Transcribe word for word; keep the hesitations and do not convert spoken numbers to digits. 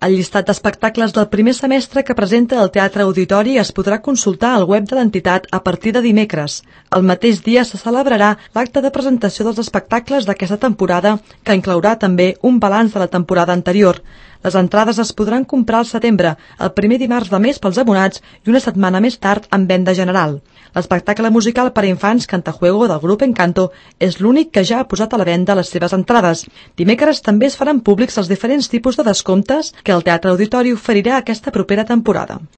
El llistat d'espectacles del primer semestre que presenta el Teatre Auditori es podrà consultar al web de l'entitat a partir de dimecres. El mateix dia se celebrarà l'acte de presentació dels espectacles d'aquesta temporada, que inclourà també un balanç de la temporada anterior. Les entrades es podran comprar al setembre, el primer dimarts de mes pels abonats i una setmana més tard en venda general. L'espectacle musical per a infants Cantajuego del grup Encanto és l'únic que ja ha posat a la venda les seves entrades. Dimecres també es faran públics els diferents tipus de descomptes que el Teatre Auditori oferirà aquesta propera temporada.